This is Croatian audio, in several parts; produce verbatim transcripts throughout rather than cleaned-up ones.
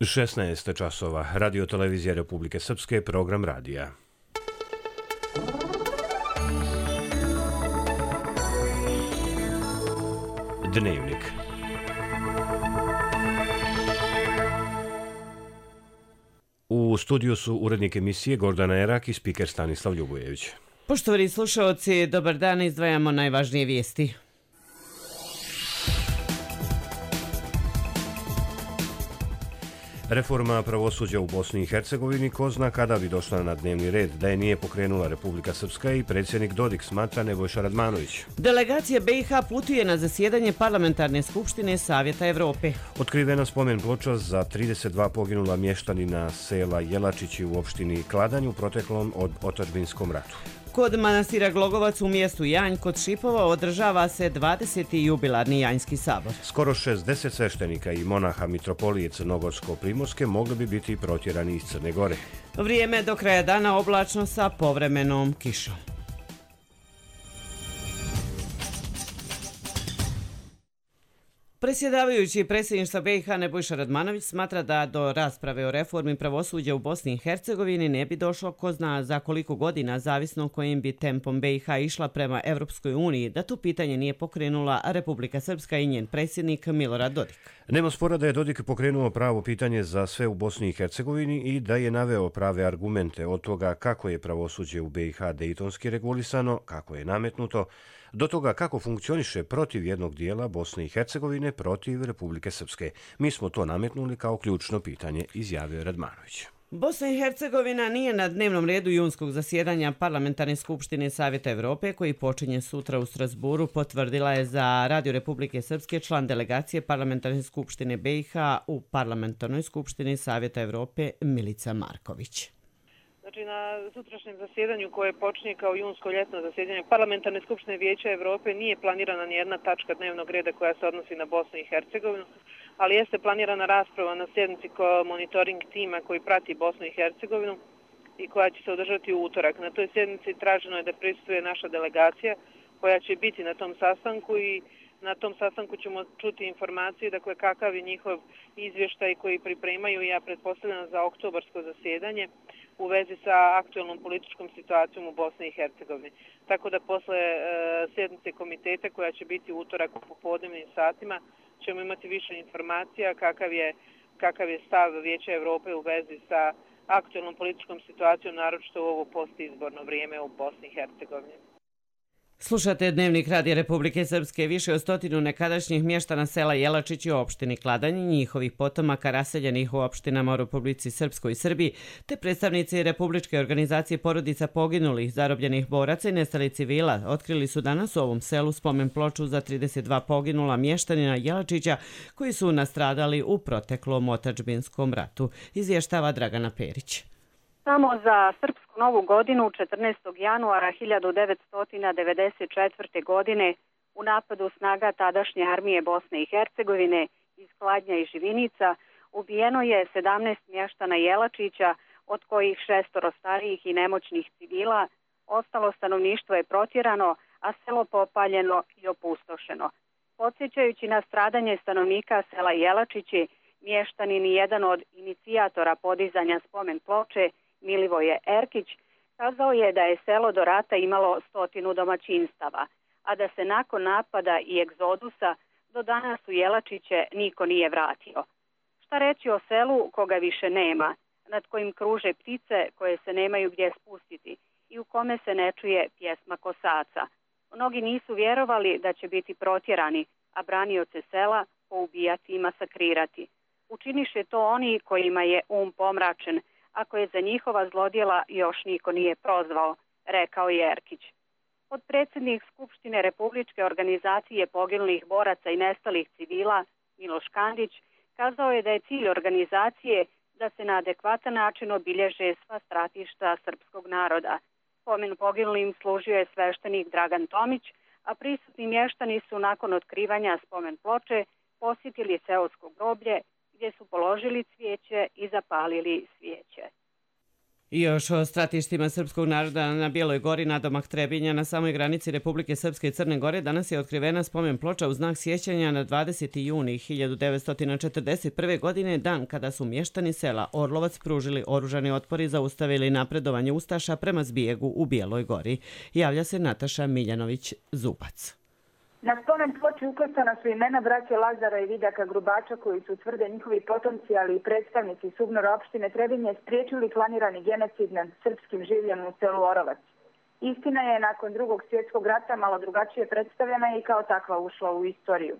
šesnaest časova. Radio televizija Republike Srpske, program radija. Dnevnik. U studiju su urednik emisije Gordana Erak i spiker Stanislav Ljubojević. Poštovani slušaoci, dobar dan, izdvajamo najvažnije vijesti. Reforma pravosuđa u Bosni i Hercegovini ko zna kada bi došla na dnevni red, da je nije pokrenula Republika Srpska i predsjednik Dodik, smatra Nebojša Radmanović. Delegacija B i H putuje na zasjedanje Parlamentarne skupštine Savjeta Evrope. Otkrivena spomen ploča za trideset dva poginula mještanina sela Jelačići u opštini Kladanj u proteklom od otadžbinskom ratu. Kod manastira Glogovac u mjestu Janj kod Šipova održava se dvadeseti jubilarni Janjski sabor. Skoro šezdeset sveštenika i monaha mitropolije Crnogorsko-Primorske mogli bi biti protjerani iz Crne Gore. Vrijeme do kraja dana oblačno sa povremenom kišom. Predsjedavajući predsjedništva B i H Nebojša Radmanović smatra da do rasprave o reformi pravosuđa u Bosni i Hercegovini ne bi došlo ko zna za koliko godina, zavisno kojim bi tempom B i H išla prema Evropskoj uniji, da tu pitanje nije pokrenula Republika Srpska i njen predsjednik Milorad Dodik. Nema spora da je Dodik pokrenuo pravo pitanje za sve u Bosni i Hercegovini i da je naveo prave argumente od toga kako je pravosuđe u B i H dejtonski regulisano, kako je nametnuto, do toga kako funkcioniše protiv jednog dijela Bosne i Hercegovine protiv Republike Srpske. Mi smo to nametnuli kao ključno pitanje, izjavio Radmanović. Bosna i Hercegovina nije na dnevnom redu junskog zasjedanja Parlamentarne skupštine Savjeta Evrope koji počinje sutra u Strasburu, potvrdila je za Radio Republike Srpske član delegacije Parlamentarne skupštine B i H u Parlamentarnoj skupštini Savjeta Evrope Milica Marković. Znači, na sutrašnjem zasjedanju koje počinje kao junsko ljetno zasjedanje Parlamentarne skupštine Vijeća Evrope nije planirana nijedna tačka dnevnog reda koja se odnosi na Bosnu i Hercegovinu, ali jeste planirana rasprava na sjednici monitoring tima koji prati Bosnu i Hercegovinu i koja će se održati u utorak. Na toj sjednici traženo je da prisustvuje naša delegacija koja će biti na tom sastanku i na tom sastanku ćemo čuti informacije, dakle kakav je njihov izvještaj koji pripremaju, ja pretpostavljam za oktobarsko zasjedanje u vezi sa aktualnom političkom situacijom u Bosni i Hercegovini. Tako da posle e, sjednice komiteta koja će biti u utorak u popodnevnim satima ćemo imati više informacija kakav je, kakav je stav Vijeća Evrope u vezi sa aktualnom političkom situacijom, naročito u ovo postizborno vrijeme u Bosni i Hercegovini. Slušate Dnevnik Radija Republike Srpske. Više od stotinu nekadašnjih mještana sela Jelačići u opštini Kladanj, njihovih potomaka raseljenih u opštinama u Republici Srpskoj i Srbiji, te predstavnici Republičke organizacije porodica poginulih, zarobljenih boraca i nestalih civila otkrili su danas u ovom selu spomen ploču za trideset dva poginula mještanina Jelačića koji su nastradali u proteklom otadžbinskom ratu, izvještava Dragana Perić. Samo za Srpsku novu godinu četrnaestog januara hiljadu devetsto devedeset četvrte. godine u napadu snaga tadašnje armije Bosne i Hercegovine iz Kladnja i Živinica ubijeno je sedamnaest mještana Jelačića, od kojih šestoro starijih i nemoćnih civila. Ostalo stanovništvo je protjerano, a selo popaljeno i opustošeno. Podsjećajući na stradanje stanovnika sela Jelačići, mještanin i jedan od inicijatora podizanja spomen ploče, Milivoje Erkić, kazao je da je selo do rata imalo stotinu domaćinstava, a da se nakon napada i egzodusa do danas u Jelačiće niko nije vratio. Šta reći o selu koga više nema, nad kojim kruže ptice koje se nemaju gdje spustiti i u kome se ne čuje pjesma kosaca. Mnogi nisu vjerovali da će biti protjerani, a branioce sela poubijati i masakrirati. Učiniše to oni kojima je um pomračen, ako je za njihova zlodjela još niko nije prozvao, rekao je Erkić. Podpredsjednik Skupštine Republičke organizacije poginulih boraca i nestalih civila, Miloš Kandić, kazao je da je cilj organizacije da se na adekvatan način obilježe sva stratišta srpskog naroda. Spomen poginulim služio je sveštenik Dragan Tomić, a prisutni mještani su nakon otkrivanja spomen ploče posjetili seosko groblje gdje su položili cvijeće i zapalili svijeće. I još o stratištima srpskog naroda na Bijeloj gori nadomak Trebinja na samoj granici Republike Srpske i Crne Gore danas je otkrivena spomen ploča u znak sjećanja na dvadeseti juni hiljadu devetsto četrdeset prve. godine, dan kada su mještani sela Orlovac pružili oružani otpor i zaustavili napredovanje Ustaša prema zbijegu u Bijeloj gori. Javlja se Nataša Miljanović-Zubac. Na spomen ploči ukrštana su imena braće Lazara i Vidaka Grubača koji su, tvrde njihovi potomci, ali i predstavnici Subnora opštine Trebinje, spriječili planirani genocid nad srpskim življem u selu Orovac. Istina je nakon drugog svjetskog rata malo drugačije predstavljena i kao takva ušla u istoriju.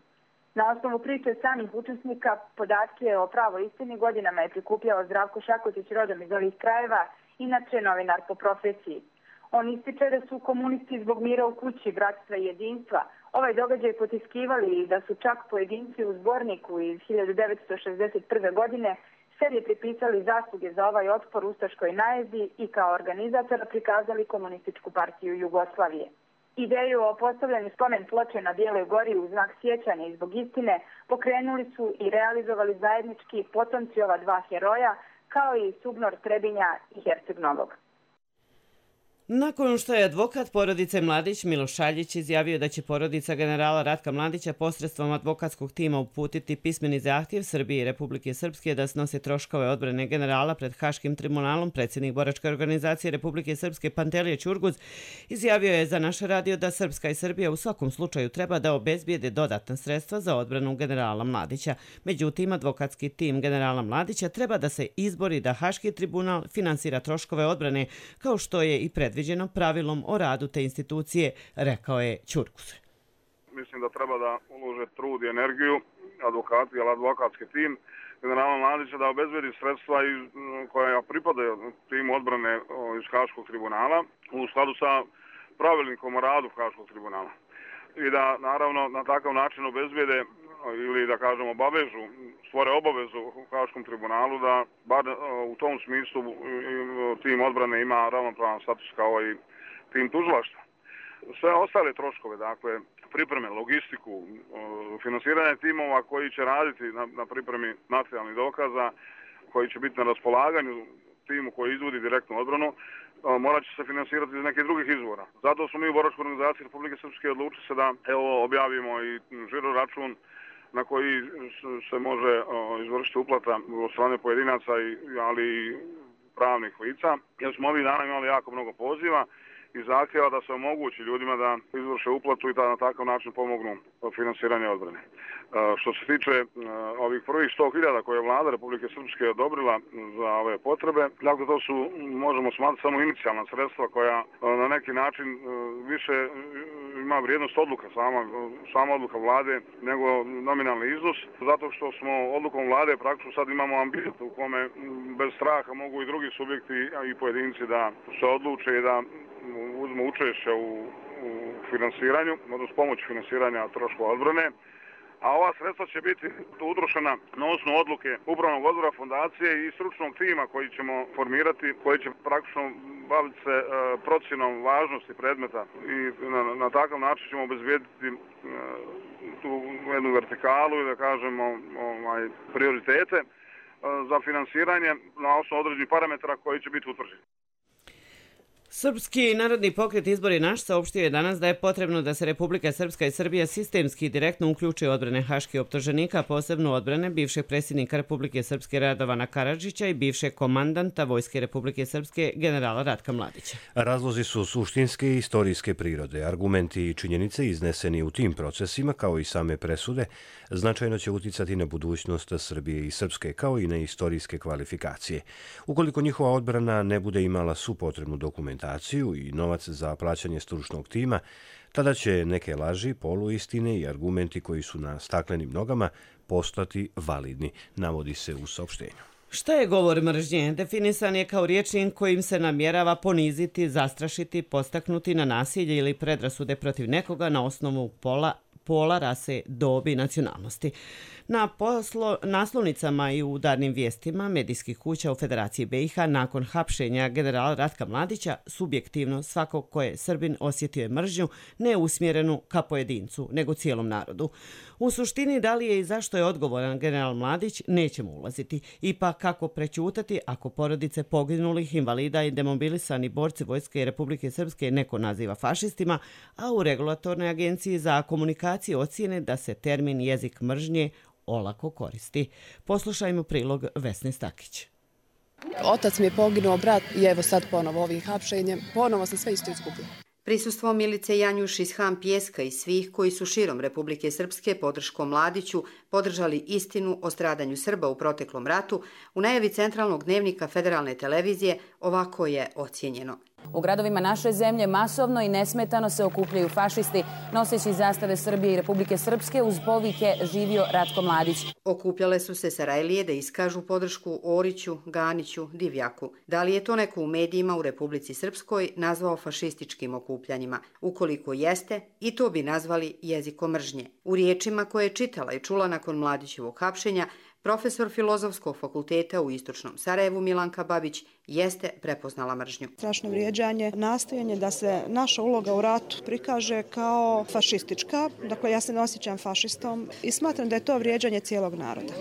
Na osnovu priče samih učesnika podatke o pravoj istini godinama je prikupljao Zdravko Šakotić, rodom iz ovih krajeva, inače novinar po profesiji. On ističe da su komunisti zbog mira u kući, bratstva i jedinstva ovaj događaj potiskivali i da su čak pojedinci u zborniku iz hiljadu devetsto šezdeset prve. godine sebi pripisali zasluge za ovaj otpor ustaškoj najezdi i kao organizatora prikazali Komunističku partiju Jugoslavije. Ideju o postavljanju spomen ploče na Bijeloj gori u znak sjećanja i zbog istine pokrenuli su i realizovali zajednički potomci ova dva heroja, kao i Subnor Trebinja i Herceg Novog. Nakon što je advokat porodice Mladić Miloš Šaljić izjavio da će porodica generala Ratka Mladića posredstvom advokatskog tima uputiti pismeni zahtjev Srbije i Republike Srpske da snose troškove odbrane generala pred Haškim tribunalom, predsjednik boračke organizacije Republike Srpske Pantelije Ćurguz izjavio je za naš radio da Srpska i Srbija u svakom slučaju treba da obezbijede dodatna sredstva za odbranu generala Mladića. Međutim, advokatski tim generala Mladića treba da se izbori da Haški tribunal finansira troškove odbrane kao što je i pred predviđeno pravilom o radu te institucije, rekao je Ćurguz. Mislim da treba da ulože trud i energiju advokati, ali advokatski tim generala Mladića da obezbedi sredstva koja pripadaju timu odbrane iz Haškog tribunala u skladu sa pravilnikom o radu Haškog tribunala. I da naravno na takav način obezbede ili da kažemo obavežu, stvore obavezu u Haškom tribunalu da bar u tom smislu tim odbrane ima ravnopravan status kao i tim tužilaštva. Sve ostale troškove, dakle pripreme, logistiku, finansiranje timova koji će raditi na, na pripremi materijalnih dokaza, koji će biti na raspolaganju timu koji izvodi direktnu odbranu, morat će se finansirati iz nekih drugih izvora. Zato smo mi u boračkoj organizaciji Republike Srpske odlučili se da evo objavimo i žiro račun na koji se može izvršiti uplata od strane pojedinaca, ali i pravnih lica. Jer smo ovih dana imali jako mnogo poziva i zahtjeva da se omogući ljudima da izvrše uplatu i da na takav način pomognu finansiranje odbrane. Što se tiče ovih prvih sto hiljada koje je vlada Republike Srpske odobrila za ove potrebe, dakle to su, možemo smatrati, samo inicijalna sredstva koja na neki način više ima vrijednost odluka, sama, sama odluka vlade, nego nominalni iznos, zato što smo odlukom vlade praktično sad imamo ambijent u kome bez straha mogu i drugi subjekti i pojedinci da se odluče i da uzmu učešće u, u finansiranju, odnosno pomoć finansiranja troškova odbrane, a ova sredstva će biti utrošena na osnovu odluke upravnog odbora fondacije i stručnog tima koji ćemo formirati, koji će praktično baviti se e, procjenom važnosti predmeta i na, na takav način ćemo obezbijediti e, tu jednu vertikalu i da kažemo ovaj, prioritete e, za finansiranje na osnovu određenih parametara koji će biti utvrđeni. Srpski narodni pokret Izbori naš saopštio je danas da je potrebno da se Republika Srpska i Srbija sistemski direktno uključe odbrane haških optuženika, posebno odbrane bivšeg predsjednika Republike Srpske Radovana Karadžića i bivšeg komandanta Vojske Republike Srpske generala Ratka Mladića. Razlozi su suštinske i istorijske prirode. Argumenti i činjenice izneseni u tim procesima, kao i same presude, značajno će uticati na budućnost Srbije i Srpske, kao i na istorijske kvalifikacije. Ukoliko njihova odbrana ne bude imala svu potrebnu dokumentaciju i novac za plaćanje stručnog tima, tada će neke laži, poluistine i argumenti koji su na staklenim nogama postati validni, navodi se u saopštenju. Šta je govor mržnje? Definisan je kao rječnik kojim se namjerava poniziti, zastrašiti, postaknuti na nasilje ili predrasude protiv nekoga na osnovu pola pola, rase, dobi i nacionalnosti. Na poslo, naslovnicama i u udarnim vijestima medijskih kuća u Federaciji B i H nakon hapšenja generala Ratka Mladića subjektivno svako ko je Srbin osjetio je mržnju ne usmjerenu ka pojedincu, nego cijelom narodu. U suštini, da li je i zašto je odgovoran general Mladić, nećemo ulaziti. Ipak kako prećutati ako porodice poginulih, invalida i demobilisani borci Vojske Republike Srpske neko naziva fašistima, a u Regulatornoj agenciji za komunikaciju ocjene da se termin jezik mržnje olako koristi. Poslušajmo prilog Vesne Stakić. Otac mi je poginuo, brat i evo sad ponovo ovim hapšenjem. Ponovo se sve isto izgubilo. Prisustvo Milice Janjuš iz Han Pijeska i svih koji su širom Republike Srpske podrškom Mladiću podržali istinu o stradanju Srba u proteklom ratu, u najavi centralnog dnevnika Federalne televizije ovako je ocijenjeno. U gradovima naše zemlje masovno i nesmetano se okupljaju fašisti noseći zastave Srbije i Republike Srpske uz povike "Živio Ratko Mladić". Okupljale su se Sarajlije da iskažu podršku Oriću, Ganiću, Divjaku. Da li je to neko u medijima u Republici Srpskoj nazvao fašističkim okupljanjima? Ukoliko jeste, i to bi nazvali jezikom mržnje. U riječima koje je čitala i čula nakon Mladićevog hapšenja, profesor Filozofskog fakulteta u Istočnom Sarajevu Milanka Babić jeste prepoznala mržnju. Strašno vrijeđanje, nastojanje da se naša uloga u ratu prikaže kao fašistička. Dakle, ja se ne osjećam fašistom i smatram da je to vrijeđanje cijelog naroda.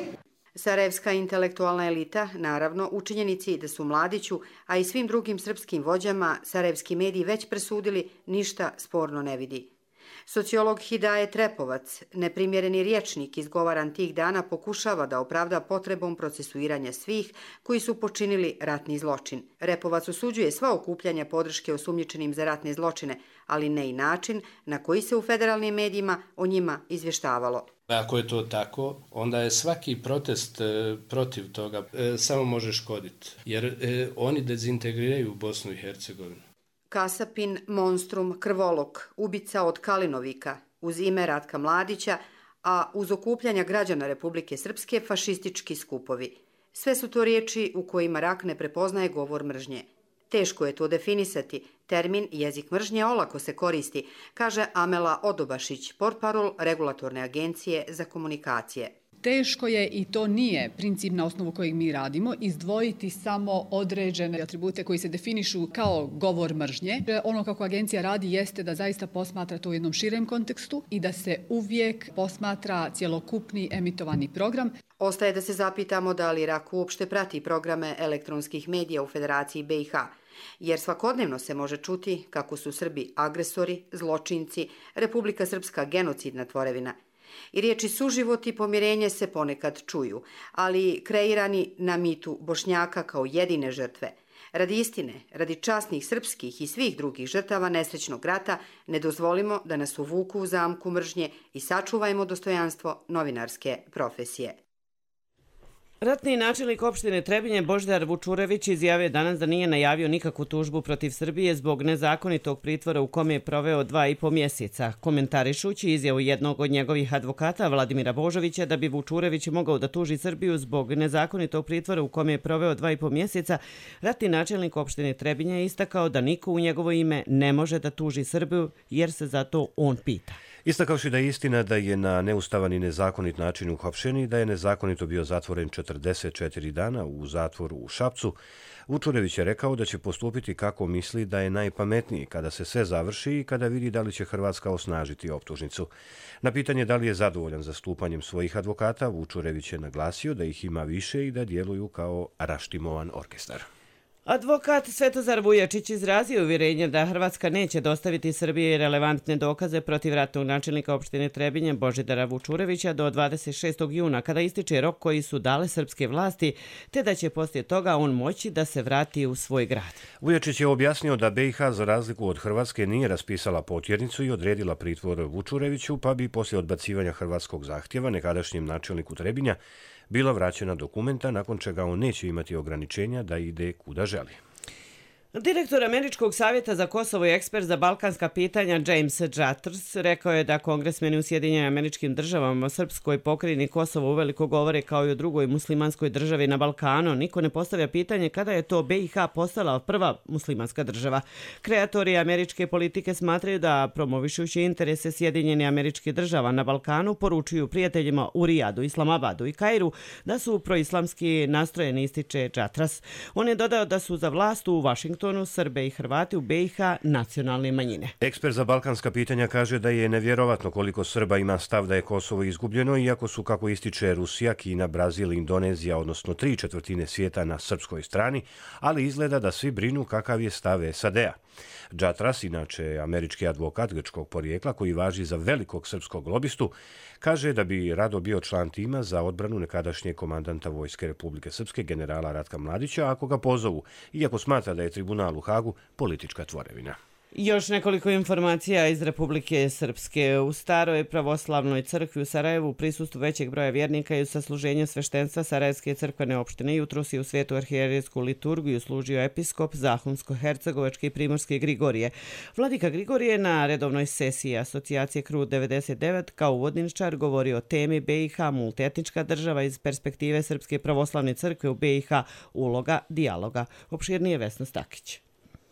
Sarajevska intelektualna elita, naravno, u činjenici da su Mladiću, a i svim drugim srpskim vođama, sarajevski mediji već presudili, ništa sporno ne vidi. Sociolog Hidaje Trepovac, neprimjereni rječnik izgovaran tih dana, pokušava da opravda potrebom procesuiranja svih koji su počinili ratni zločin. Repovac osuđuje sva okupljanja podrške osumnjičenim za ratne zločine, ali ne i način na koji se u federalnim medijima o njima izvještavalo. Ako je to tako, onda je svaki protest e, protiv toga e, samo može škoditi, jer e, oni dezintegriraju Bosnu i Hercegovinu. Kasapin, monstrum, krvolok, ubica od Kalinovika, uz ime Ratka Mladića, a uz okupljanja građana Republike Srpske fašistički skupovi. Sve su to riječi u kojima rak ne prepoznaje govor mržnje. Teško je to definisati. Termin jezik mržnje olako se koristi, kaže Amela Odobašić, portparol Regulatorne agencije za komunikacije. Teško je, i to nije princip na osnovu kojeg mi radimo, izdvojiti samo određene atribute koji se definišu kao govor mržnje. Ono kako agencija radi jeste da zaista posmatra to u jednom širem kontekstu i da se uvijek posmatra cjelokupni emitovani program. Ostaje da se zapitamo da li RAK uopšte prati programe elektronskih medija u Federaciji B i H, jer svakodnevno se može čuti kako su Srbi agresori, zločinci, Republika Srpska genocidna tvorevina. I riječi suživot i pomirenje se ponekad čuju, ali kreirani na mitu Bošnjaka kao jedine žrtve. Radi istine, radi časnih srpskih i svih drugih žrtava nesrećnog rata, ne dozvolimo da nas uvuku u zamku mržnje i sačuvajmo dostojanstvo novinarske profesije. Ratni načelnik opštine Trebinje Božidar Vučurević izjavio danas da nije najavio nikakvu tužbu protiv Srbije zbog nezakonitog pritvora u kome je proveo dva i po mjeseca. Komentarišući izjavu jednog od njegovih advokata Vladimira Božovića da bi Vučurević mogao da tuži Srbiju zbog nezakonitog pritvora u kome je proveo dva i po mjeseca, ratni načelnik opštine Trebinje je istakao da niko u njegovo ime ne može da tuži Srbiju jer se zato on pita. Istakavši da je istina da je na neustavan i nezakonit način uhapšen i da je nezakonito bio zatvoren četrdeset četiri dana u zatvoru u Šapcu, Vučurević je rekao da će postupiti kako misli da je najpametniji kada se sve završi i kada vidi da li će Hrvatska osnažiti optužnicu. Na pitanje da li je zadovoljan zastupanjem svojih advokata, Vučurević je naglasio da ih ima više i da djeluju kao raštimovan orkestar. Advokat Svetozar Vujačić izrazio uvjerenje da Hrvatska neće dostaviti Srbiji relevantne dokaze protiv ratnog načelnika opštine Trebinje Božidara Vučurevića do dvadeset šestog juna, kada ističe rok koji su dale srpske vlasti, te da će poslije toga on moći da se vrati u svoj grad. Vujačić je objasnio da B i H za razliku od Hrvatske nije raspisala potjernicu i odredila pritvor Vučureviću, pa bi poslije odbacivanja hrvatskog zahtjeva nekadašnjem načelniku Trebinja bila vraćena dokumenta, nakon čega on neće imati ograničenja da ide kuda želi. Direktor Američkog savjeta za Kosovo i ekspert za balkanska pitanja James Jaters rekao je da kongresmeni u Sjedinjenim Američkim Državama o srpskoj pokrajini Kosovo uveliko govore kao i o drugoj muslimanskoj državi na Balkanu. Niko ne postavlja pitanje kada je to B i H postala prva muslimanska država. Kreatori američke politike smatraju da promovišući interese Sjedinjenih Američkih Država na Balkanu poručuju prijateljima u Rijadu, Islamabadu i Kairu da su proislamski nastrojeni, ističe Jatras. On je dodao da su za vlast u Vašingtonu Srbe i Hrvati u B i H nacionalne manjine. Ekspert za balkanska pitanja kaže da je nevjerovatno koliko Srba ima stav da je Kosovo izgubljeno, iako su, kako ističe, Rusija, Kina, Brazil, Indonezija, odnosno tri četvrtine svijeta na srpskoj strani, ali izgleda da svi brinu kakav je stav S A D-a. Jatras, inače američki advokat grčkog porijekla koji važi za velikog srpskog lobistu, kaže da bi rado bio član tima za odbranu nekadašnjeg komandanta Vojske Republike Srpske generala Ratka Mladića ako ga pozovu, iako smatra da je tribunal u Hagu politička tvorevina. Još nekoliko informacija iz Republike Srpske. U staroj pravoslavnoj crkvi u Sarajevu u prisustvu većeg broja vjernika i u sasluženju sveštenstva Sarajevske crkvene opštine jutros je u svetu arhijerejsku liturgiju služio episkop Zahumsko-hercegovački i primorski Grigorije. Vladika Grigorije na redovnoj sesiji asocijacije Krut devedeset devet kao uvodničar govori o temi B i H multietnička država iz perspektive Srpske pravoslavne crkve u B i H, uloga dijaloga. Opširnije Vesna Stakić.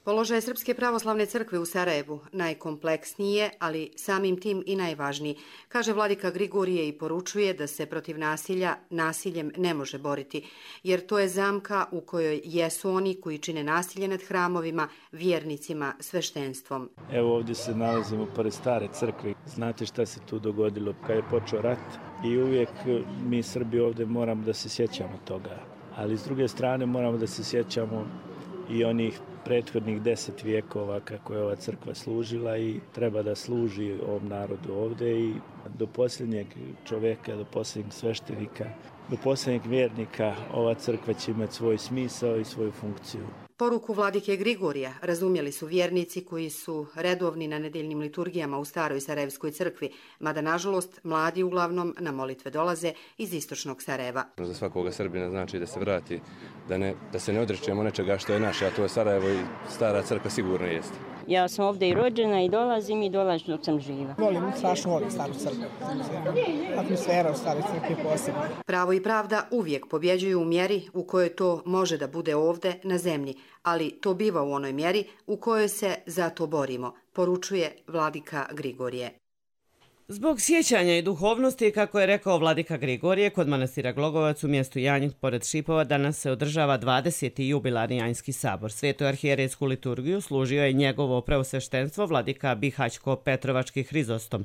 Položaj Srpske pravoslavne crkve u Sarajevu najkompleksniji je, ali samim tim i najvažniji, kaže vladika Grigorije i poručuje da se protiv nasilja nasiljem ne može boriti, jer to je zamka u kojoj jesu oni koji čine nasilje nad hramovima, vjernicima, sveštenstvom. Evo ovdje se nalazimo pored stare crkve. Znate šta se tu dogodilo kad je počeo rat i uvijek mi Srbi ovdje moramo da se sjećamo toga, ali s druge strane moramo da se sjećamo i onih prethodnih deset vijekova kako je ova crkva služila i treba da služi ovom narodu ovdje i do posljednjeg čovjeka, do posljednjeg sveštenika, do posljednjeg vjernika ova crkva će imati svoj smisao i svoju funkciju. Poruku vladike Grigorija razumjeli su vjernici koji su redovni na nedeljnim liturgijama u staroj Sarajevskoj crkvi, mada nažalost mladi uglavnom na molitve dolaze iz istočnog Sarajeva. Za svakoga Srbina znači da se vrati, da, ne, da se ne odričemo nečega što je naše, a to je Sarajevo i stara crkva sigurno jeste. Ja sam ovdje i rođena i dolazim i dolazim dok sam živa. Volim, strašno volim staru crkvu. Atmosfera u staroj crkvi je posebna. Pravo i pravda uvijek pobjeđuju u mjeri u kojoj to može da bude ovdje na zemlji, ali to biva u onoj mjeri u kojoj se za to borimo, poručuje vladika Grigorije. Zbog sjećanja i duhovnosti, kako je rekao vladika Grigorije, kod manastira Glogovac u mjestu Janjih pored Šipova danas se održava dvadeseti jubilarni Janjski sabor. Svetu arhijerejsku liturgiju služio je njegovo preosveštenstvo vladika Bihaćko-Petrovački Hrizostom.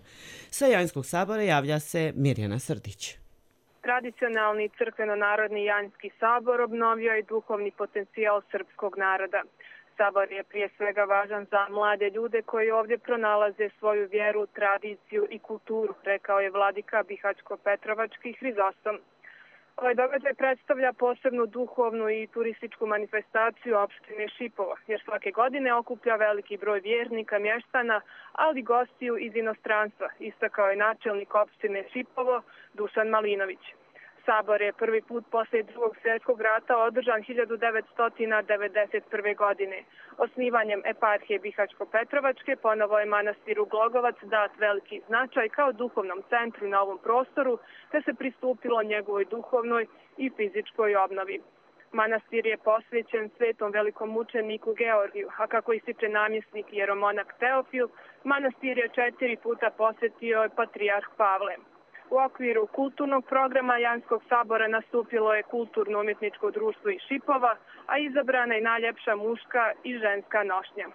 Sa Janjskog sabora javlja se Mirjana Srdić. Tradicionalni crkveno-narodni Janjski sabor obnovio je duhovni potencijal srpskog naroda. Sabor je prije svega važan za mlade ljude koji ovdje pronalaze svoju vjeru, tradiciju i kulturu, rekao je vladika Bihaćko-Petrovački Hrizostom. Ovaj događaj predstavlja posebnu duhovnu i turističku manifestaciju opštine Šipovo, jer svake godine okuplja veliki broj vjernika, mještana, ali i gostiju iz inostranstva, istakao je načelnik opštine Šipovo Dušan Malinović. Sabor je prvi put posle drugog svjetskog rata održan hiljadu devetsto devedeset prve. godine. Osnivanjem eparhije Bihaćko-Petrovačke ponovo je manastiru Glogovac dat veliki značaj kao duhovnom centru na ovom prostoru, te se pristupilo njegovoj duhovnoj i fizičkoj obnovi. Manastir je posvećen svetom velikom mučeniku Georgiju, a kako ističe namjesnik jeromonak Teofil, manastir je četiri puta posjetio patrijarh Pavle. U okviru kulturnog programa Janjskog sabora nastupilo je kulturno-umjetničko društvo iz Šipova, a izabrana je najljepša muška i ženska nošnja.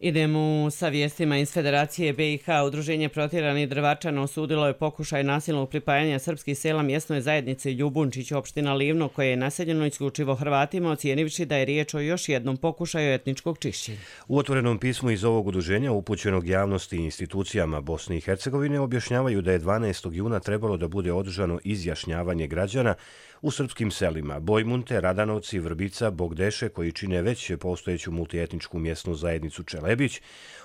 Idemo sa vijestima iz Federacije B i H. Udruženje protjeranih Drvačana osudilo je pokušaj nasilnog pripajanja srpskih sela mjesnoj zajednici Ljubunčić, opština Livno, koje je naseljeno isključivo Hrvatima, ocijenivši da je riječ o još jednom pokušaju etničkog čišćenja. U otvorenom pismu iz ovog udruženja upućenog javnosti i institucijama Bosne i Hercegovine objašnjavaju da je dvanaestog juna trebalo da bude održano izjašnjavanje građana U srpskim selima Bojmunte, Radanovci, Vrbica, Bogdeše, koji čine već postojeću multietničku mjesnu zajednicu Čelebić,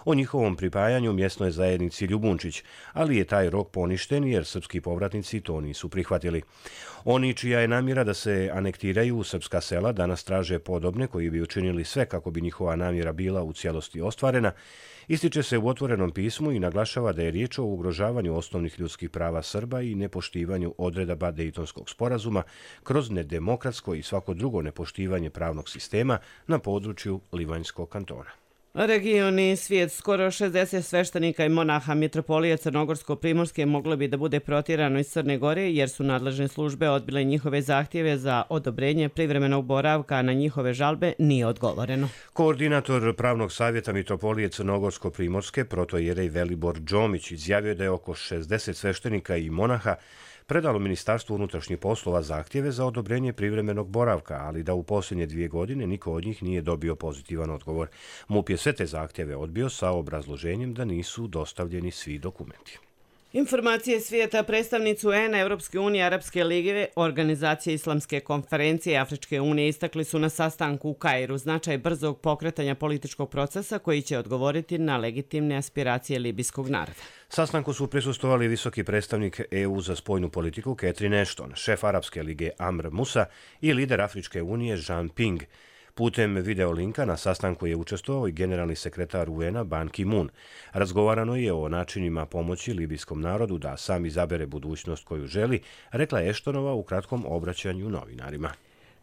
o njihovom pripajanju mjesnoj zajednici Ljubunčić, ali je taj rok poništen jer srpski povratnici to nisu prihvatili. Oni čija je namjera da se anektiraju u srpska sela danas traže podobne koji bi učinili sve kako bi njihova namjera bila u cijelosti ostvarena, ističe se u otvorenom pismu i naglašava da je riječ o ugrožavanju osnovnih ljudskih prava Srba i nepoštivanju odredaba Dejtonskog sporazuma kroz nedemokratsko i svako drugo nepoštivanje pravnog sistema na području Livanjskog kantona. Region i svijet, skoro šezdeset sveštenika i monaha mitropolije Crnogorsko-Primorske moglo bi da bude protjerano iz Crne Gore jer su nadležne službe odbile njihove zahtjeve za odobrenje privremenog boravka, a na njihove žalbe nije odgovoreno. Koordinator pravnog savjeta mitropolije Crnogorsko-Primorske, protojerej Velibor Džomić, izjavio da je oko šezdeset sveštenika i monaha predalo Ministarstvu unutrašnjih poslova zahtjeve za odobrenje privremenog boravka, ali da u posljednje dvije godine niko od njih nije dobio pozitivan odgovor. MUP je sve te zahtjeve odbio sa obrazloženjem da nisu dostavljeni svi dokumenti. Informacije svijeta, predstavnicu U N, Europske unije, Arapske lige, Organizacije Islamske konferencije i Afričke unije istakli su na sastanku u Kairu značaj brzog pokretanja političkog procesa koji će odgovoriti na legitimne aspiracije libijskog naroda. Sastanku su prisustvovali visoki predstavnik E U za spoljnu politiku Catherine Ashton, šef Arapske lige Amr Musa i lider Afričke unije Jean Ping. Putem videolinka na sastanku je učestvovao i generalni sekretar U N-a Ban Ki-moon. Razgovarano je o načinima pomoći libijskom narodu da sam izabere budućnost koju želi, rekla je Ashtonova u kratkom obraćanju novinarima.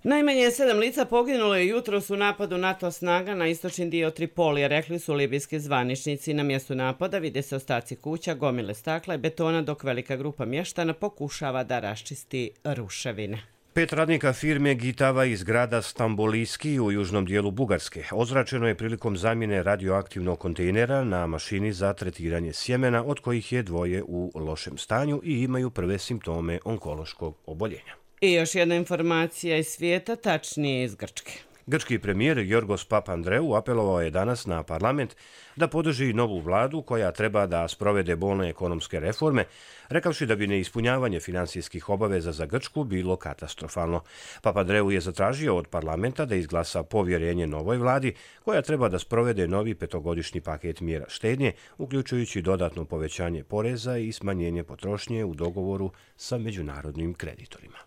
Najmanje sedam lica poginulo je jutros u napadu NATO snaga na istočni dio Tripolija, rekli su libijski zvaničnici. Na mjestu napada vide se ostaci kuća, gomile stakla i betona, dok velika grupa mještana pokušava da raščisti ruševine. Pet radnika firme Gitava iz grada Stambolijski u južnom dijelu Bugarske ozračeno je prilikom zamjene radioaktivnog kontejnera na mašini za tretiranje sjemena, od kojih je dvoje u lošem stanju i imaju prve simptome onkološkog oboljenja. I još jedna informacija iz svijeta, tačnije iz Grčke. Grčki premijer Jorgos Papandreou apelovao je danas na parlament da podrži novu vladu koja treba da sprovede bolne ekonomske reforme, rekavši da bi neispunjavanje finansijskih obaveza za Grčku bilo katastrofalno. Papandreou je zatražio od parlamenta da izglasa povjerenje novoj vladi koja treba da sprovede novi petogodišnji paket mjera štednje, uključujući dodatno povećanje poreza i smanjenje potrošnje u dogovoru sa međunarodnim kreditorima.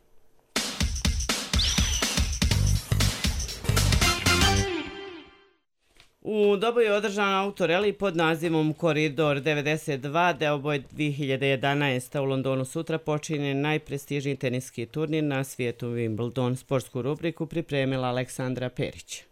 U Doboju je održan autoreli pod nazivom Koridor devedeset dva, Deoboj dvije hiljade jedanaeste. U Londonu sutra počinje najprestižniji teniski turnir na svijetu Wimbledon. Sportsku rubriku pripremila Aleksandra Perić.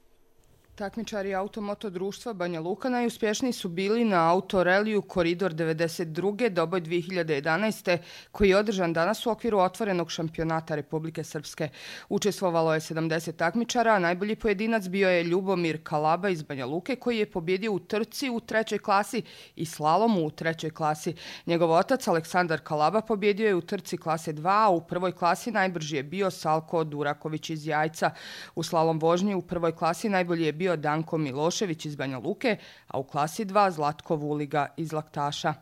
Takmičari Automoto društva Banja Luka najuspješniji su bili na autoreliju Koridor devedeset dva. Doboj dvije hiljade jedanaeste. koji je održan danas u okviru otvorenog šampionata Republike Srpske. Učestvovalo je sedamdeset takmičara, a najbolji pojedinac bio je Ljubomir Kalaba iz Banja Luke koji je pobjedio u trci u trećoj klasi i slalomu u trećoj klasi. Njegov otac Aleksandar Kalaba pobjedio je u trci klase dva, a u prvoj klasi najbrži je bio Salko Duraković iz Jajca. U slalom vožnji u prvoj klasi najbolji je bio bio Danko Milošević iz Banja Luke, a u klasi dva Zlatko Vuliga iz Laktaša.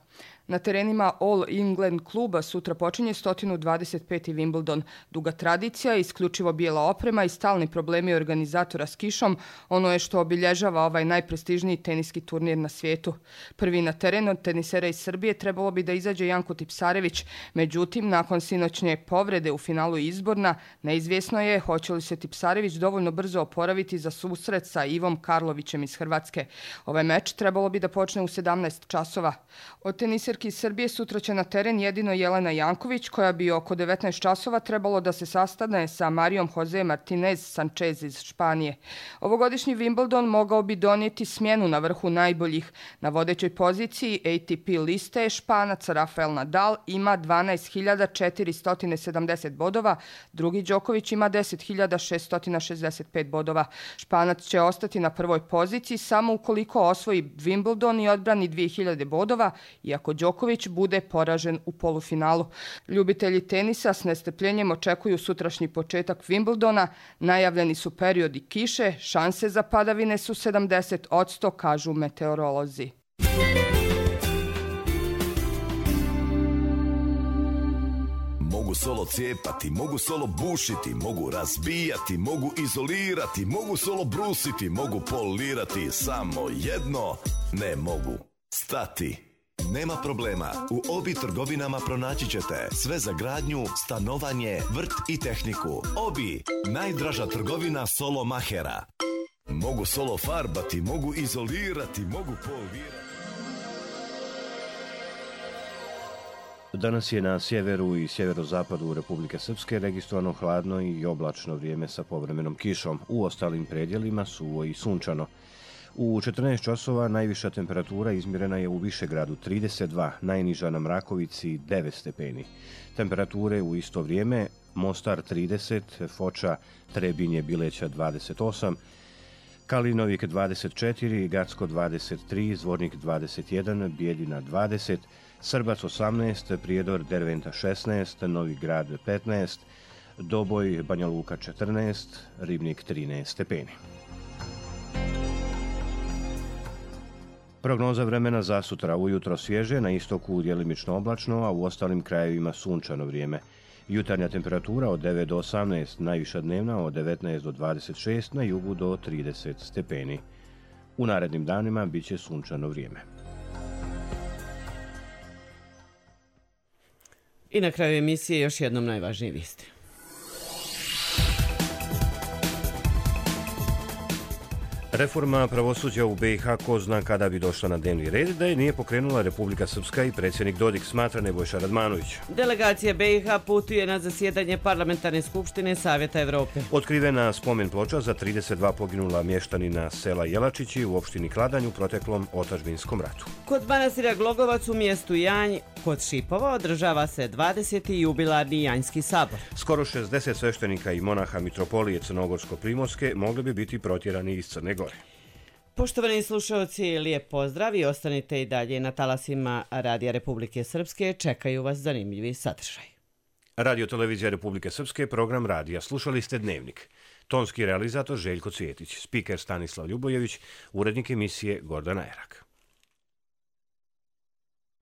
Na terenima All England kluba sutra počinje sto dvadeset peti Wimbledon. Duga tradicija, isključivo bijela oprema i stalni problemi organizatora s kišom, ono je što obilježava ovaj najprestižniji teniski turnir na svijetu. Prvi na teren od tenisera iz Srbije trebalo bi da izađe Janko Tipsarević, međutim, nakon sinoćnje povrede u finalu izborna, neizvjesno je hoće li se Tipsarević dovoljno brzo oporaviti za susret sa Ivom Karlovićem iz Hrvatske. Ovaj meč trebalo bi da počne u sedamnaest časova. Od teniserki iz Srbije sutra će na teren jedino Jelena Janković, koja bi oko devetnaest časova trebalo da se sastane sa Marijom Jose Martinez Sanchez iz Španije. Ovogodišnji Wimbledon mogao bi donijeti smjenu na vrhu najboljih. Na vodećoj poziciji A T P liste Španac Rafael Nadal ima dvanaest hiljada četiristo sedamdeset bodova, drugi Đoković ima deset hiljada šesto šezdeset pet bodova. Španac će ostati na prvoj poziciji samo ukoliko osvoji Wimbledon i odbrani dvije hiljade bodova, iako Đoković bude poražen u polufinalu. Ljubitelji tenisa s nestrpljenjem očekuju sutrašnji početak Wimbledona. Najavljeni su periodi kiše, šanse za padavine su sedamdeset posto, kažu meteorolozi. Mogu solo cijepati, mogu solo bušiti, mogu razbijati, mogu izolirati, mogu solo brusiti, mogu polirati, samo jedno ne mogu. Stati. Nema problema, u Obi trgovinama pronaći ćete sve za gradnju, stanovanje, vrt i tehniku. Obi, najdraža trgovina solo mahera. Mogu solo farbati, mogu izolirati, mogu polirati. Danas je na sjeveru i sjeverozapadu Republike Srpske registrovano hladno i oblačno vrijeme sa povremenom kišom. U ostalim predjelima suvo i sunčano. U četrnaest časova najviša temperatura izmjerena je u Višegradu trideset dva, najniža na Mrakovici devet stepeni. Temperature u isto vrijeme Mostar trideset, Foča, Trebinje, Bileća dvadeset osam, Kalinovik dvadeset četiri, Gacko dvadeset tri, Zvornik dvadeset jedan, Bijeljina dvadeset, Srbac osamnaest, Prijedor, Derventa šesnaest, Novi Grad petnaest, Doboj, Banja Luka četrnaest, Ribnik trinaest stepeni. Prognoza vremena za sutra ujutro svježe, na istoku djelimično oblačno, a u ostalim krajevima sunčano vrijeme. Jutarnja temperatura od devet do osamnaest, najviša dnevna od devetnaest do dvadeset šest, na jugu do trideset stepeni. U narednim danima bit će sunčano vrijeme. I na kraju emisije još jednom najvažnije vijesti. Reforma pravosuđa u be i ha ko zna kada bi došla na dnevni red, da je nije pokrenula Republika Srpska i predsjednik Dodik, smatra Nebojša Radmanović. Delegacija be i ha putuje na zasjedanje Parlamentarne skupštine Savjeta Evrope. Otkrivena spomen ploča za trideset dva poginula mještanina sela Jelačići u opštini Kladanj u proteklom otadžbinskom ratu. Kod manastira Glogovac u mjestu Janj kod Šipova održava se dvadeseti jubilarni Janjski sabor. Skoro šezdeset sveštenika i monaha mitropolije Crnogorsko-Primorske mogli bi biti protjerani iz Crne Gore. Poštovani slušalci, lijep pozdrav i ostanite i dalje na talasima Radija Republike Srpske. Čekaju vas zanimljivi sadržaj. Radio Televizija Republike Srpske, program radija. Slušali ste Dnevnik. Tonski realizator Željko Cvjetić, spiker Stanislav Ljubojević, urednik emisije Gordana Erak.